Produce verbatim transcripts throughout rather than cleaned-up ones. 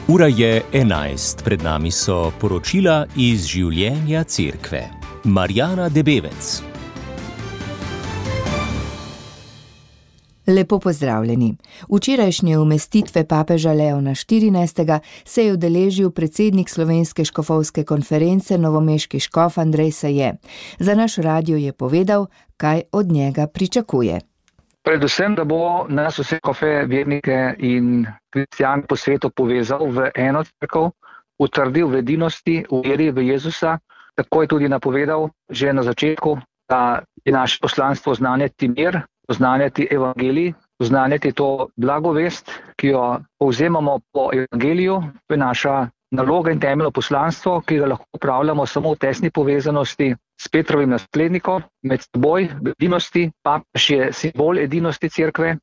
Ura je enajst, pred nami so poročila iz življenja cerkve. Marjana Debevec. Lepo pozdravljeni. Včerajšnje umestitve papeža Leona štirinajstega se je udeležil predsednik Slovenske škofovske konference novomeški škof Andrej Saje. Za naš radio je povedal, kaj od njega pričakuje. Predvsem, da bo nas vse škofe, vernike in kristjane po svetu povezal v eno cerkev, utrdil v edinosti, v veri v Jezusa. Tako je tudi napovedal že na začetku, da je naše poslanstvo oznanjati mir, oznanjati evangelij, oznanjati to blagovest, ki jo povzemamo po evangeliju. To je naša naloga in temeljno poslanstvo, ki ga lahko upravljamo samo v tesni povezanosti s Petrovim naslednikom, med seboj v edinosti. Papež je simbol edinosti cerkve,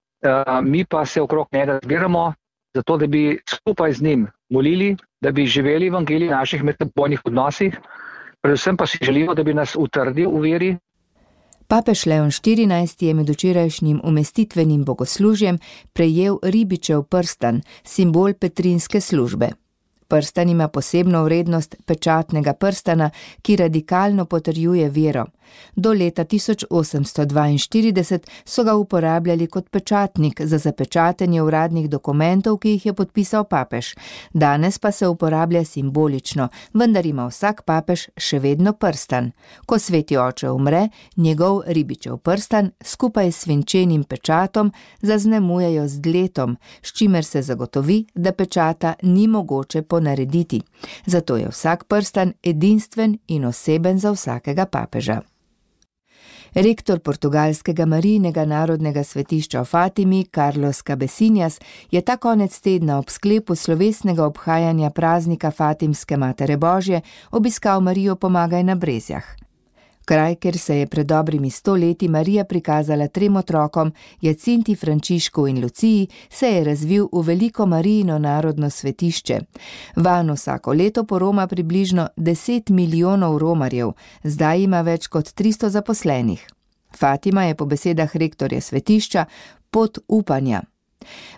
mi pa se okrog njega zbiramo, zato da bi skupaj z njim molili, da bi živeli evangelij v naših medsebojnih odnosih, predvsem pa si želimo, da bi nas utrdil v veri. Papež Leon štirinajsti je med včerajšnjim umestitvenim bogoslužjem prejel ribičev prstan, simbol petrinske službe. Prstan ima posebno vrednost pečatnega prstana, ki radikalno potrjuje vero. Do leta tisoč osemsto dvainštirideset so ga uporabljali kot pečatnik za zapečatenje uradnih dokumentov, ki jih je podpisal papež. Danes pa se uporablja simbolično, vendar ima vsak papež še vedno prstan. Ko sveti oče umre, njegov ribičev prstan skupaj s svinčenim pečatom zaznamujejo z dletom, s čimer se zagotovi, da pečata ni mogoče ponarediti. Zato je vsak prstan edinstven in oseben za vsakega papeža. Rektor portugalskega Marijinega narodnega svetišča v Fatimi, Carlos Cabecinhas, je ta konec tedna ob sklepu slovesnega obhajanja praznika Fatimske Matere Božje obiskal Marijo Pomagaj na Brezjah. Kraj, kjer se je pred dobrimi sto leti Marija prikazala trem otrokom, Jacinti, Frančišku in Luciji, se je razvil v veliko Marijino narodno svetišče. Vanj vsako leto poroma približno deset milijonov romarjev, zdaj ima več kot tristo zaposlenih. Fatima je po besedah rektorja svetišča pot upanja.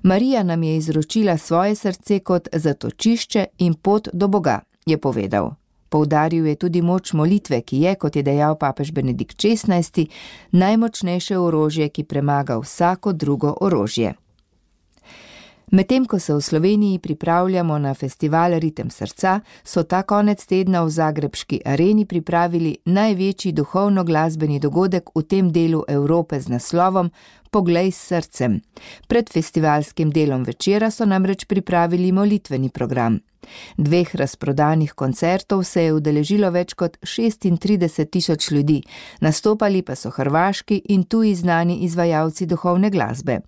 Marija nam je izročila svoje srce kot zatočišče in pot do Boga, je povedal. Poudaril je tudi moč molitve, ki je, kot je dejal papež Benedikt šestnajsti, najmočnejše orožje, ki premaga vsako drugo orožje. Medtem ko se v Sloveniji pripravljamo na festival Ritem srca, so ta konec tedna v zagrebški areni pripravili največji duhovno-glasbeni dogodek v tem delu Evrope z naslovom Poglej s srcem. Pred festivalskim delom večera so namreč pripravili molitveni program. Dveh razprodanih koncertov se je udeležilo več kot šestintrideset tisoč ljudi, nastopali pa so hrvaški in tuji znani izvajalci duhovne glasbe.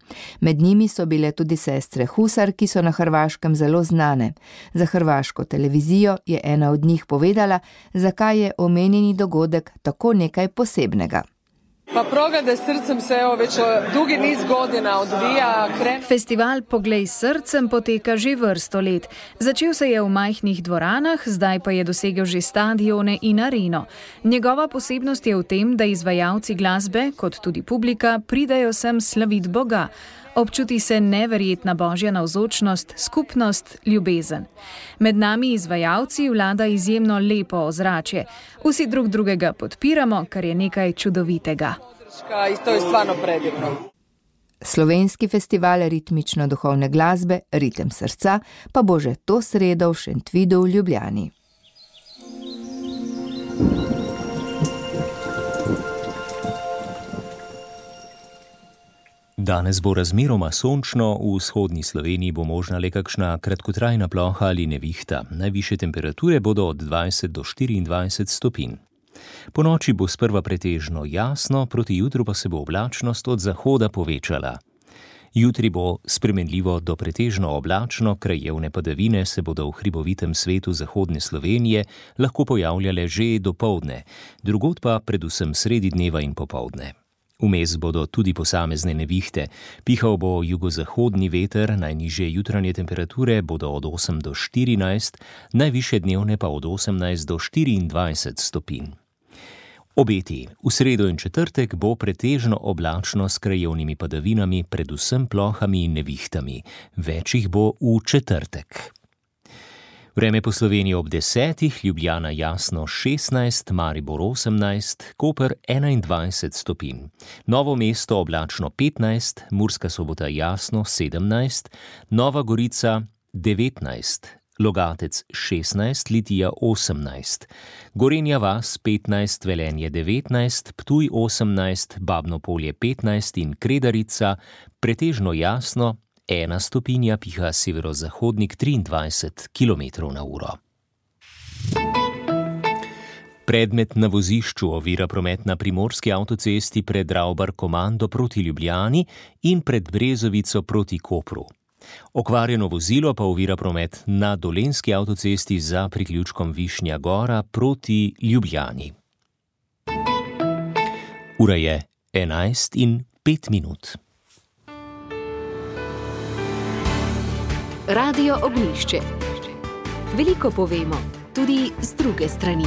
Med njimi so bile tudi sestre Husar, ki so na Hrvaškem zelo znane. Za hrvaško televizijo je ena od njih povedala, zakaj je omenjeni dogodek tako nekaj posebnega. Pa Poglej s srcem se evo već dugi niz godina odvija. Kren... Festival Poglej s srcem poteka že vrsto let. Začel se je v majhnih dvoranah, zdaj pa je dosegel že stadione in areno. Njegova posebnost je v tem, da izvajalci glasbe, kot tudi publika, pridajo sem slavit Boga. Občuti se neverjetna božja navzočnost, skupnost, ljubezen. Med nami izvajalci vlada izjemno lepo ozračje. Vsi drug drugega podpiramo, kar je nekaj čudovitega. To je stvarno predivno. Slovenski festival ritmično-duhovne glasbe Ritem srca pa bo že to sredo v Šentvidu v Ljubljani. Danes bo razmeroma sončno, v vzhodni Sloveniji bo možna le kakšna kratkotrajna ploha ali nevihta. Najvišje temperature bodo od dvajset do štiriindvajset stopinj. Po noči bo sprva pretežno jasno, proti jutru pa se bo oblačnost od zahoda povečala. Jutri bo spremenljivo do pretežno oblačno, krajevne padavine se bodo v hribovitem svetu zahodne Slovenije lahko pojavljale že dopoldne, drugod pa predvsem sredi dneva in popoldne. Vmes bodo tudi posamezne nevihte. Pihal bo jugozahodni veter, najnižje jutranje temperature bodo od osem do štirinajst, najvišje dnevne pa od osemnajst do štiriindvajset stopinj. Obeti. V sredo in četrtek bo pretežno oblačno s krajevnimi padavinami, predvsem plohami in nevihtami. Več jih bo v četrtek. Vreme po Sloveniji ob desetih, Ljubljana jasno šestnajst, Maribor osemnajst, Koper enaindvajset stopinj. Novo mesto oblačno petnajst, Murska Sobota jasno sedemnajst, Nova Gorica devetnajst, Logatec šestnajst, Litija osemnajst, Gorenja vas petnajst, Velenje devetnajst, Ptuj osemnajst, Babno Polje petnajst in Kredarica pretežno jasno, ena stopinja, piha severozahodnik triindvajset kilometrov na uro. Predmet na vozišču ovira promet na primorski avtocesti pred Ravbar-Komando proti Ljubljani in pred Brezovico proti Kopru. Okvarjeno vozilo pa ovira promet na dolenjski avtocesti za priključkom Višnja Gora proti Ljubljani. Ura je enajst in pet minut. Radio Ognjišče. Veliko povemo, tudi z druge strani.